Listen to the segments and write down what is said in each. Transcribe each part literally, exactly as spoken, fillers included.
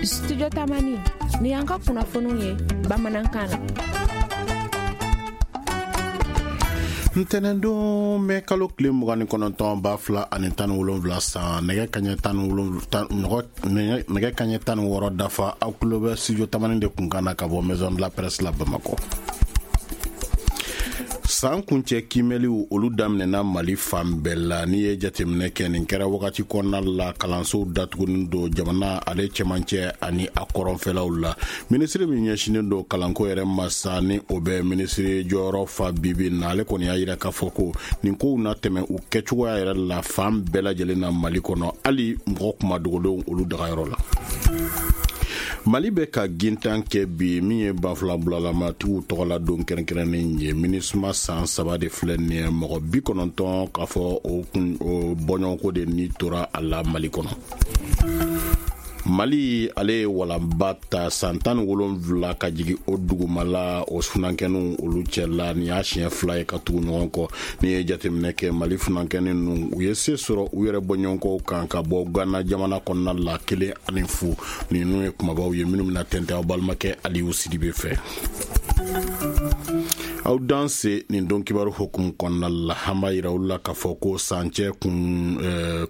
Studio Tamani ni y'an ka kunnafoniw ye bamanankan na. Ntɛnɛndon mɛ kalo tile mugan ni kɔnɔntɔn ba fila ani tan ni wolonwula san nɛgɛ kaɲɛ tan ni wolonwula nɛgɛ kaɲɛ tan ni wɔɔrɔ dafa, aw tulo bɛ Studio Tamani de kunkan na ka bɔ Maison de la Presse la Bamakɔ. San kuncɛ kiimɛliw olu daminɛna Mali fan bɛɛ la. N'i ye jateminɛ kɛ, nin kɛra wagati kɔnɔna la kalansow datugunen don jamana ale cɛmancɛ ani a kɔrɔnfɛlaw la. Minisiri min ɲɛsinnen don kalanko yɛrɛ ma sa, ni o bɛ minisiri jɔyɔrɔ fa bibi na, ale kɔni y'a yira k'a fɔ ko nin kow na tɛmɛ u kɛcogoya yɛrɛ la fan bɛɛ lajɛlen na Mali kɔnɔ, hali mɔgɔ kumadogolenw olu dagayɔrɔ la. Mali bɛ ka gintan kɛ bi min ye banfulabulalamaatigiw tɔgɔla don kɛrɛnkɛrɛnnen ye. MINUSMA san saba de filɛ nin ye, mɔgɔ bi kɔnɔntɔn k'a fɔ o kun o bɔɲɔgɔnko de ni tora a la Mali kɔnɔ. Mali ale ye walanba ta san tan ni wolonwula ka jigin o dugumala o funankɛninw olu cɛla. Nin y'a siɲɛ fila ye ka tugu ɲɔgɔn kɔ. N'i ye jateminɛ kɛ, Mali funankɛnin ninnu u ye se sɔrɔ u yɛrɛ bɔɲɔgɔnkɔw kan ka bɔ Gana jamana kɔnɔna la kelen ani fu. Ninnu ye kumabaw ye minnu bɛna tɛntɛn aw balimakɛ Aliyu Sidibe fɛ. Aw danse nin don kibaru hukumu kɔnɔna la, an b'a yira olu la k'a fɔ ko sancɛ kun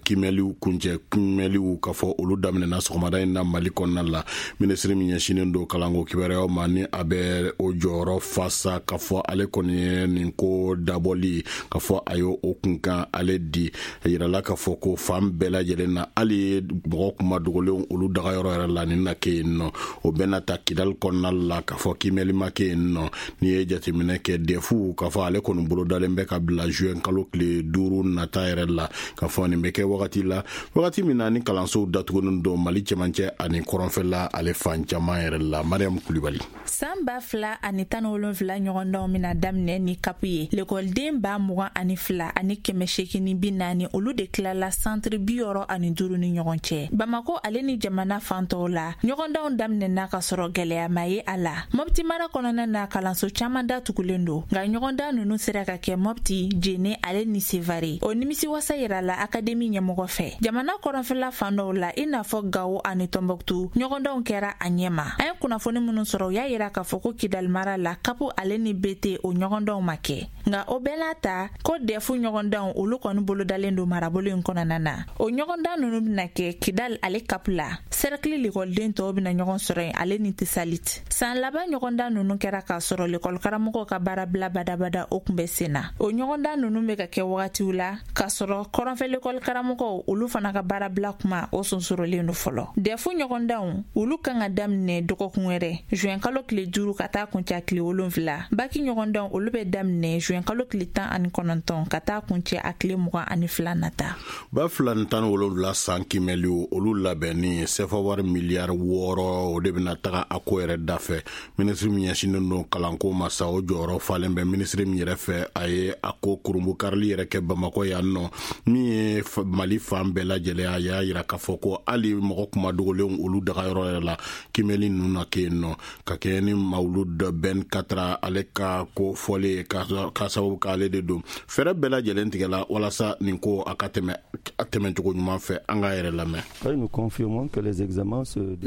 kiimɛliw kuncɛ kiimɛliw k'a fɔ olu daminɛna sɔgɔmada in na Mali kɔnɔna la. Minisiri min ɲɛsinnen don kalanko kibaruyaw ma, ni a bɛ o jɔyɔrɔ fa sa, k'a fɔ ale kɔni ye nin ko dabɔli k'a fɔ a ye o kunkan ale di. A yirala k'a fɔ ko fan bɛɛ lajɛlen na, hali mɔgɔ kuma dogolenw olu dagayɔrɔ yɛrɛ la, nin na kɛ yen nɔ. O bɛna ta Kidali kɔnɔna la k'a fɔ kiimɛli ma kɛ yen nɔ. N'i ye jateminɛ kɛ, defu k'a fɔ ale kɔni bolodalen bɛ ka bila juin kalo tile duuru nata yɛrɛ la, k'a fɔ nin bɛ kɛ wagati la, wagati min na ni kalansow datugunen don Mali cɛmancɛ ani kɔrɔnfɛla ale fan caman yɛrɛ la. Mariam Kulibali. San ba fila ani tan ni wolonfila ɲɔgɔndanw bɛna daminɛ ni kapu ye. Lekɔliden ba mugan ani fila ani kɛmɛ seegin ni bi naani olu de tilala santiri bi wɔɔrɔ ani duuru ni ɲɔgɔn cɛ. Bamako ale ni jamana fan tɔw la, ɲɔgɔndanw daminɛna ka sɔrɔ gɛlɛya ma ye a la. Mɔpti mara kɔnɔna na, kalanso caman datugulen don, nka ɲɔgɔndan ninnu sera ka kɛ Mɔpti, Jene ale ni Sevare. O nimisiwasa yirala akademi ɲɛmɔgɔ fɛ. Jamana kɔrɔnfɛla fan dɔw la, i n'a fɔ Gawo ani Tɔnbɔkutu, ɲɔgɔndanw kɛra a ɲɛma. An ye kunnafoni minnu sɔrɔ, u y'a yira k'a fɔ ko Kidali mara la, kapu ale ni B T o ɲɔgɔndanw ma kɛ. Nka o bɛɛ n'a ta, ko dɛfu ɲɔgɔndanw olu kɔni bolodalen don marabolo in kɔnɔna na. O ɲɔgɔndan ninnu bɛna kɛ Kidali ale kapu la. Sɛrɛkili lekɔliden tɔw bɛna ɲɔgɔn sɔrɔ yen ale ni Tisalit. San laban ɲɔgɔndan ninnu kɛra k'a sɔrɔ lekɔlikaramɔgɔw ka baarabila badabada o kun bɛ sen na. O ɲɔgɔndan ninnu bɛ ka kɛ wagatiw la k'a sɔrɔ kɔrɔnfɛ lekɔlikaramɔgɔw olu fana ka baarabila kuma o sonsorolen don fɔlɔ. Dɛfu ɲɔgɔndanw olu kan ka daminɛ dɔgɔkun wɛrɛ, juin kalo tile duuru ka taa kuncɛ tile wolonfila. Baki ɲɔgɔndanw olu bɛ daminɛ juin kalo tile tan ani kɔnɔntɔn ka taa kuncɛ a tile mugan ani fila nata. Ba fila ni tan ni wolonwula san kiimɛliw olu labɛnni, sefa wari miliyari wɔɔrɔ o de bɛna taga a ko yɛrɛ dafɛ. Minisiri min ɲɛsinnen don kalanko ma sa, o jɔyɔrɔ falen bɛ minisiri min yɛrɛ fɛ, a ye a ko kurunbonkarili yɛrɛ kɛ Bamakɔ yan nɔ, min ye Mali fan bɛɛ lajɛlen. A y'a yira k'a fɔ ko hali mɔgɔ kumadogolenw olu dagayɔrɔ yɛrɛ la, kiimɛli ninnu na kɛ yen nɔ. Ka kɛɲɛ ni Mawuludu Ben Katra ale ka ko fɔlen, ka sababu k'ale de don, fɛɛrɛ bɛɛ lajɛlen tigɛla walasa nin ko a ka tɛmɛ a tɛmɛcogo ɲuman fɛ. An k'a yɛrɛ lamɛn. N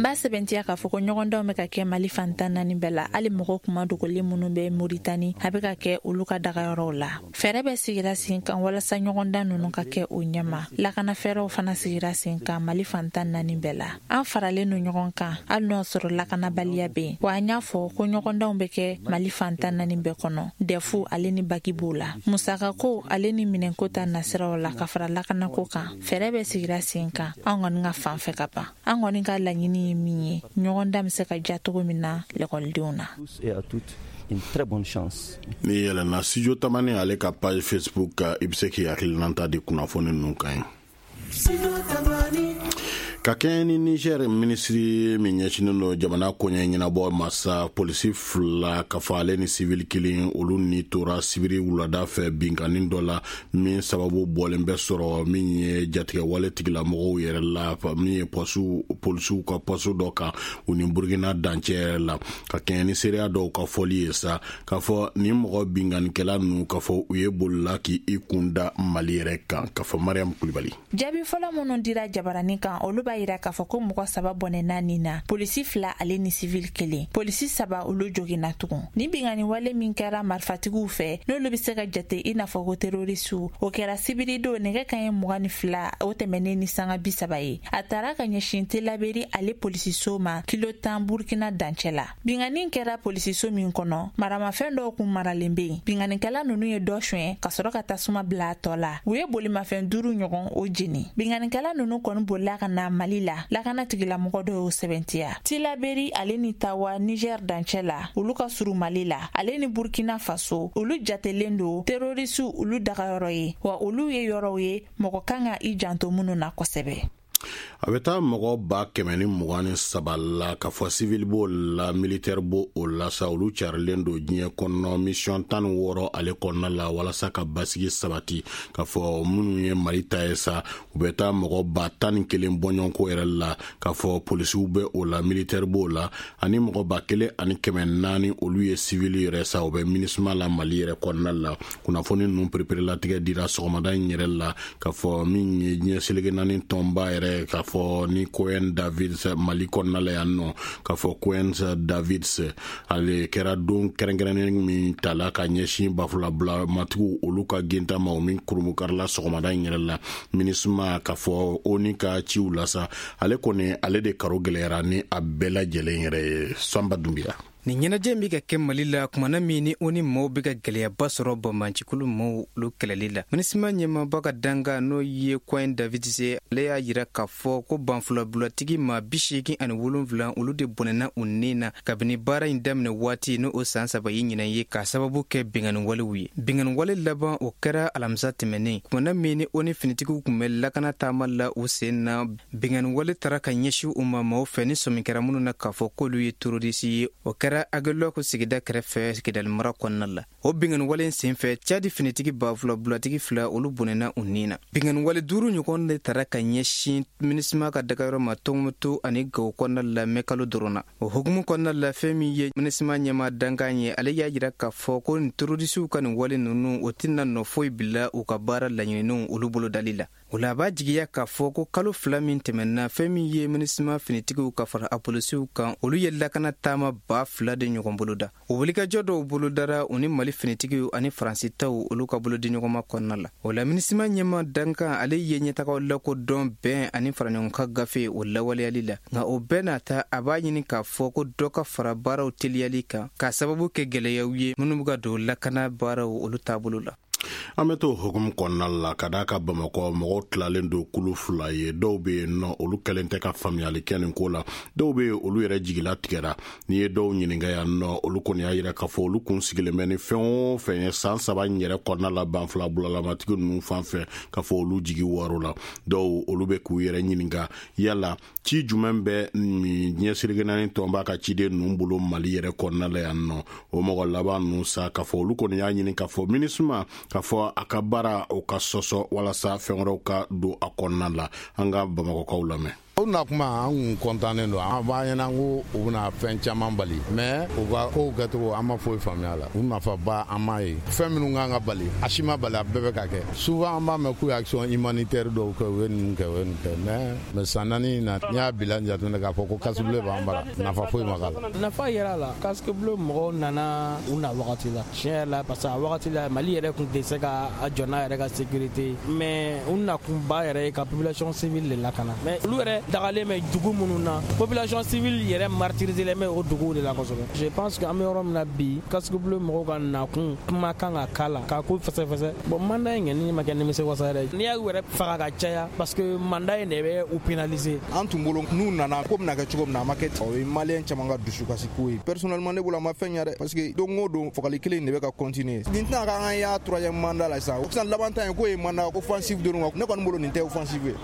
b'a sɛbɛntiya k'a fɔ ko ɲɔgɔndanw bɛ ka kɛ Mali fan tan naani bɛɛ la, hali mɔgɔ kuma dogolen minnu bɛ Moritani, a bɛ ka kɛ olu ka dagayɔrɔw la. Fɛɛrɛ bɛ sigira sen kan walasa ɲɔgɔndan ninnu ka kɛ o ɲɛma. Lakana fɛɛrɛw fana sigira sen kan Mali fan tan naani bɛɛ la. An faralen don ɲɔgɔn kan, hali n'o sɔrɔ lakanabaliya bɛ yen. Wa an y'a fɔ ko ɲɔgɔndanw bɛ kɛ Mali fan tan naani bɛɛ kɔnɔ, dɛfu ale ni baki b'o la. Musakako ale ni minɛnko ta nasiraw la, ka fara lakanako kan, fɛɛrɛ bɛ sigira sen kan an kɔni ka fan fɛ ka ban. An kɔni ka laɲini ye min ye, ɲɔgɔndan bɛ se ka ja cogo min na lekɔlidenw na. Une très bonne chance. Ni yɛlɛnna Studio Tamani ale ka page Facebook kan, i bɛ se k'i hakilinata di kunnafoni ninnu kan ye. Ka kɛɲɛ ni Niger minisiri min ɲɛsinnen don jamana koɲɛ ɲɛnabɔ masa, polisi fila ka fɔ ale ni sivili kelen olu ni tora sibiri wulada fɛ binkanni dɔ la, min sababu bɔlen bɛ sɔrɔ min ye jatigɛwale tigilamɔgɔw yɛrɛ la, min ye pɔsiw polisiw ka pɔsu dɔ kan u ni Burukina dancɛ yɛrɛ la. Ka kɛɲɛ ni seereya dɔw ka fɔli ye sa, k'a fɔ nin mɔgɔ binkannikɛla ninnu, k'a fɔ u ye bolila k'i kun da Mali yɛrɛ kan, k'a fɔ. Mariam Kulibali. Jaabi fɔlɔ minnu dira jabaranin kan, olu b'a b'a yira k'a fɔ ko mɔgɔ saba bɔnɛna nin na, polisi fila ale ni sivili kelen. Polisi saba olu joginna tugun. Ni binkanni wale min kɛra marifatigiw fɛ, n'olu bɛ se ka jate i n'a fɔ ko terorisiw, o kɛra sibiridon nɛgɛ kanɲɛ mugan ni fila o tɛmɛnen ni sanga bi saba ye. A taara ka ɲɛsin Telaberi ale polisiso ma kilo tan Burkina dancɛ la. Binkanni kɛra polisiso min kɔnɔ, maramafɛn dɔw kun maralen bɛ yen. Binkannikɛla ninnu ye dɔ suɲɛ ka sɔrɔ ka tasuma bila a tɔ la. U ye bolimafɛn duuru ɲɔgɔn o jeni. Binkannikɛla ninnu kɔni bolila ka na Mali la, lakana tigilamɔgɔ dɔw y'o sɛbɛntiya. Tilaberi ale ni Tawa Niger dancɛ la, olu ka surun Mali la, ale ni Burkina Faso, olu jatelen don terorisiw olu dagayɔrɔ ye, wa olu ye yɔrɔw ye mɔgɔ kan ka i janto minnu na kosɛbɛ. A bɛ taa mɔgɔ ba kɛmɛ ni mugan ni saba la, k'a fɔ civil b'o la, militaire b'o o la sa, olu carilen don diɲɛ kɔnɔ mission tan ni wɔɔrɔ ale kɔnɔna la walasa ka basigi sabati. K'a fɔ minnu ye Mali ta ye sa, u bɛ taa mɔgɔ ba tan ni kelen bɔɲɔgɔnko yɛrɛ la, k'a fɔ polisiw bɛ o la, militaire b'o la, ani mɔgɔ ba kelen ani kɛmɛ naani olu ye civil yɛrɛ sa, u bɛ MINUSMA la Mali yɛrɛ kɔnɔna la. Kunnafoni ninnu pereperelatigɛ dira sɔgɔmada in yɛrɛ la, k'a fɔ min ye diɲɛ seleke naani tɔnba yɛrɛ, k'a fɔ ni Cohen Davids Mali kɔnɔna la yan nɔ, k'a fɔ Cohen Davids ale kɛra don kɛrɛnkɛrɛnnen min tala ka ɲɛsin bafulabila matigiw olu ka genta ma, o min kurunbonkarila sɔgɔmada in yɛrɛ la. MINUSMA, k'a fɔ ONU ka ciw la sa, ale kɔni ale de karo gɛlɛyara ni a bɛɛ lajɛlen yɛrɛ ye. Sanba Dunbiya. Nin ɲɛnajɛ bɛ ka kɛ Mali la kumana min ni o ni maaw bɛ ka gɛlɛyaba sɔrɔ banbaancikulu maaw olu kɛlɛli la. MINUSMA ɲɛmaaba ka danga n'o ye Cohen Davids, ale y'a yira k'a fɔ ko banfulabulatigi maa bi seegin ani wolonwula olu de bɔnɛna u ni na kabini baara in daminɛ waati, n'o o san saba ye ɲinan ye, k'a sababu kɛ binkanni ye. Binkanni wale laban, o kɛra alamisa tɛmɛnen, kumana min ni o ni finitigiw tun bɛ lakana taama la u sen na. Binkanni wale taara ka ɲɛsin u ma maaw fɛ ni sɔmi kɛra minnu na k'a fɔ k'olu ye terorisi ye. O kɛra Aguelhok sigida kɛrɛfɛ Kidali mara kɔnɔna la. O binkanni wale senfɛ, Cadi finitigi ba fila bulatigi fila olu bɔnɛna u ni na. Binkanni wale duuru ɲɔgɔn de taara ka ɲɛsin MINUSMA ka dagayɔrɔ ma Tɔnbukutu ani Gawo kɔnɔna la mɛ kalo dɔrɔn na. O hukumu kɔnɔna la, fɛn min ye MINUSMA ɲɛmaa dankan ye, ale y'a jira k'a fɔ ko nin terorisiw ka nin wale ninnu, o tɛna nɔ foyi bila u ka baara laɲininiw olu bolodali la. O la, a b'a jigiya k'a fɔ ko kalo fila min tɛmɛna, fɛn min ye MINUSMA finitigiw ka fara a polisiw kan, olu ye lakana taama ba fila de ɲɔgɔn boloda. O wulikajɔ dɔw bolodara u ni Mali finitigiw ani Faransi taw olu ka bolodiɲɔgɔnma kɔnɔna la. O la, MINUSMA ɲɛma dankan ale ye ɲɛtagaw lakodɔn bɛn ani faraɲɔgɔnkan gafe o lawaleyali la, nka o bɛɛ n'a ta, a b'a ɲini k'a fɔ ko dɔ ka fara baaraw teliyali kan, k'a sababu kɛ gɛlɛyaw ye minnu bɛ ka don lakana baaraw olu taabolo la. An bɛ to hukumu kɔnɔna la, ka d'a ka Bamakɔ mɔgɔw tilalen don kulu fila ye. Dɔw bɛ yen nɔ, olu kɛlen tɛ ka faamuyali kɛ nin ko la. Dɔw bɛ yen, olu yɛrɛ jigila tigɛra. N'i ye dɔw ɲininka yan nɔ, olu kɔni y'a yira k'a fɔ olu kun sigilen bɛ ni fɛn o fɛn ye san saba in yɛrɛ kɔnɔna la banfula bulalamatigi ninnu fan fɛ, k'a fɔ olu jigi wɔɔrɔ la. Dɔw olu bɛ k'u yɛrɛ ɲininka yala ci jumɛn bɛ diɲɛ seleke naani tɔnba ka ciden ninnu bolo Mali yɛrɛ kɔnɔna la yan nɔ. O mɔgɔ laban ninnu sa, k'a fɔ olu kɔni y'a ɲini k'a fɔ MINUSMA, k'a fɔ a ka baara o ka sɔsɔ walasa fɛn wɛrɛw ka don a kɔnɔna la. An ka Bamakɔkaw lamɛn. O na kuma, an kun kɔntannen don. An b'a ɲɛna ko u bɛna fɛn caman bali, mais u ka kow kɛcogo, an ma foyi faamuya la. U nafaba, an m'a ye. Fɛn minnu kan ka bali, a si ma bali, a bɛɛ bɛ ka kɛ. Souvent an b'a mɛn k'u ye action humanitaire dɔw kɛ, u ye ninnu kɛ, u ye nin kɛ, mais mais san naani in na, n'i y'a bilan jateminɛ k'a fɔ ko casque bleu b'an bara, nafa foyi ma k'a la. Nafa yɛrɛ la, casque bleu mɔgɔw nana u na wagati la, tiɲɛ yɛrɛ la, parce que a wagati la, Mali yɛrɛ kun tɛ se ka a jɔ n'a yɛrɛ ka sécurité, mais u nakunba yɛrɛ ye ka population civile de lakana. Mais olu yɛrɛ dagalen bɛ dugu minnu na, population civile yɛrɛ martyrisé bɛ o duguw de la kosɛbɛ. Je pense que an bɛ yɔrɔ min na bi, casque bleu mɔgɔw ka nakun kuma kan ka k'a la k'a ko fɛsɛfɛsɛ. Bon, mandat in kɔni ma kɛ nimisi wasa yɛrɛ, n'i y'a yɛrɛ faga ka caya, parce que mandat in de bɛ u pénaliser. An tun bolo n'u nana ko bɛna kɛ cogo min na, a ma kɛ ten. O ye Malien caman ka dusukasi ko ye. Personnellement, ne bolo, a ma fɛn ɲɛ dɛ, parce que don o don fagali kelen de bɛ ka continuer. Nin tɛna k'an ka y'a troisième mandat la sisan. Sisan laban ta in k'o ye mandat offensive dɔrɔn, ne kɔni bolo nin tɛ offensive ye.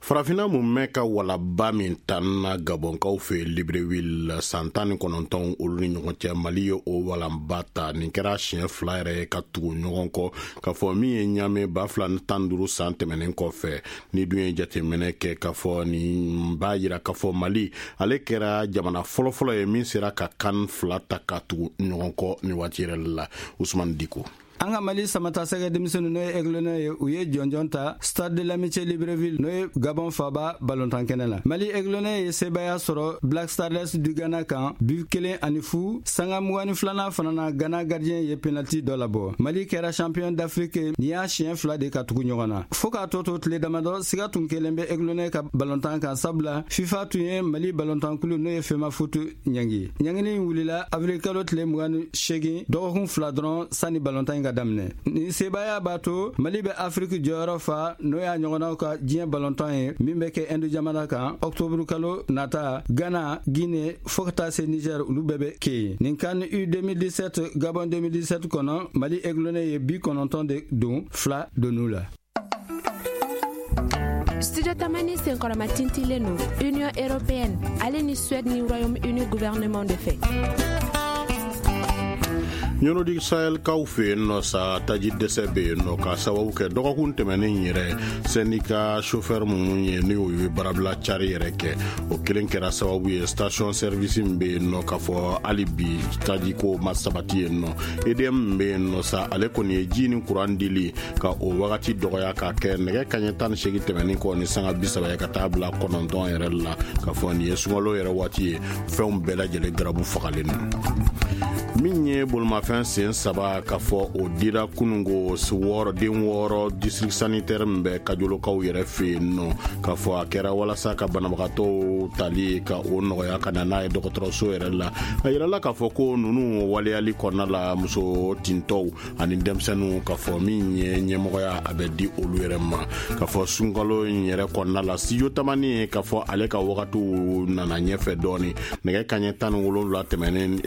Farafinna mun ka walaba min tanna Gabɔnkaw fɛ Libreville san tan ni kɔnɔntɔn olu ni ɲɔgɔn cɛ, Mali ye o walanba ta. Nin kɛra siɲɛ fila yɛrɛ ye ka tugu ɲɔgɔn kɔ, k'a fɔ min ye ɲame ba fila ni tan duuru san tɛmɛnen kɔfɛ. Ni dun ye jateminɛ kɛ, k'a fɔ nin b'a yira k'a fɔ Mali ale kɛra jamana fɔlɔfɔlɔ ye min sera ka kan fila ta ka tugu ɲɔgɔn kɔ nin waati yɛrɛ la. Usman Diko. An ka Mali samatasɛgɛ denmisɛnninw, n'o ye Aiglonnets ye, u ye jɔnjɔn ta Stade de l'Amitié Libreville, n'o ye Gabon faba balontan kɛnɛ la. Mali Aiglonnets ye sebaaya sɔrɔ Black Stars du Ghana kan bi kelen ani fu. Sanga mugan ni filanan fana na, Ghana gardien ye penalty dɔ labɔ. Mali kɛra champion d'Afrique nin y'a siɲɛ fila de ka tugu ɲɔgɔn na. Fɔɔ k'a tɔ to tile damadɔ, siga tun kelen bɛ Aiglonnets ka balontan kan, sabula FIFA tun ye Mali balontankulu, n'o ye FEMAFOOT, ɲangi. Ɲangini in wulila avril kalo tile mugan ni segin, dɔgɔkun fila dɔrɔn sani balontan in ka daminɛ. Nin sebaaya b'a to Mali bɛ Afiriki jɔyɔrɔ fa, n'o y'a ɲɔgɔnnaw ka diɲɛ balontan ye min bɛ kɛ Inde jamana kan ɔktɔburu kalo nata. Ghana, Guinée, fɔɔ ka taa se Niger, olu bɛɛ bɛ kɛ yen. Nin CAN U deux mille dix-sept Gabon deux mille dix-sept kɔnɔ, Mali Aiglonnets ye bi kɔnɔntɔn de don, fila donn'u la. Studio Tamani senkɔrɔma tintilen don Union européenne ale ni Suède ni Royaume-Uni gouvernement de fɛ. Ɲɔnɔdi Sahel kaw fɛ yen nɔ sa, taji dɛsɛ bɛ yen nɔ ka sababu kɛ dɔgɔkun tɛmɛnen yɛrɛ, syndicat chauffeur minnu ye ni o ye baarabila cari yɛrɛ kɛ, o kelen kɛra sababu ye station service min bɛ yen nɔ, k'a fɔ hali bi taji ko ma sabati yen nɔ. E D M min bɛ yen nɔ sa, ale kɔni ye ji ni kuran dili ka o wagati dɔgɔya k'a kɛ nɛgɛ kaɲɛ tan ni seegin tɛmɛnen kɔ ni sanga bi saba ye ka taa bila kɔnɔntɔn yɛrɛ la, k'a fɔ nin ye sunkalo yɛrɛ waati ye, fɛnw bɛɛ lajɛlen garabu fagalen don. Min ye bolimafɛn sen saba, k'a fɔ o dira kunungo wɔɔrɔ den wɔɔrɔ district sanitaire min bɛ Kajolokaw yɛrɛ fɛ yen nɔ, k'a fɔ a kɛra walasa ka banabagatɔw tali ka o nɔgɔya ka na n'a ye dɔgɔtɔrɔso yɛrɛ la. A yirala k'a fɔ ko ninnu waleyali kɔnɔna la, muso tintɔw ani denmisɛnninw, k'a fɔ min ye ɲɛmɔgɔya a bɛ di olu yɛrɛ ma. K'a fɔ sunkalo in yɛrɛ kɔnɔna la, Studio Tamani, k'a fɔ ale ka wagatiw nana ɲɛfɛ dɔɔni, nɛgɛ kaɲɛ tan ni wolonwula tɛmɛnen,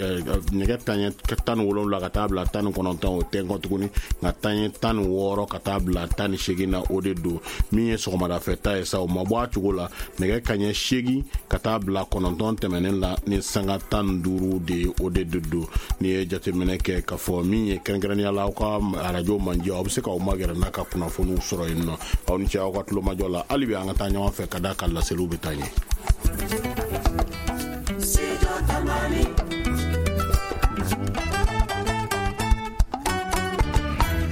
nɛgɛ taɲɛ tan ni wolonwula ka taa bila tan ni kɔnɔntɔn, o tɛ kɔ tuguni, nka taɲɛ tan ni wɔɔrɔ ka taa bila tan ni seegin na, o de don. Min ye sɔgɔmadafɛ ta ye sa, o ma bɔ a cogo la, nɛgɛ kaɲɛ seegin ka taa bila kɔnɔntɔn tɛmɛnen la ni sanga tan ni duuru de ye, o de de don. N'i ye jateminɛ kɛ, k'a fɔ min ye kɛrɛnkɛrɛnnenya la aw ka arajo manjɛ, aw bɛ se k'aw magɛrɛ n'a ka kunnafoniw sɔrɔ yen nɔ. Aw ni ce aw ka tulomajɔ la. Hali bi an ka taa ɲɔgɔn fɛ ka da ka laseliw bɛ taa ɲɛ.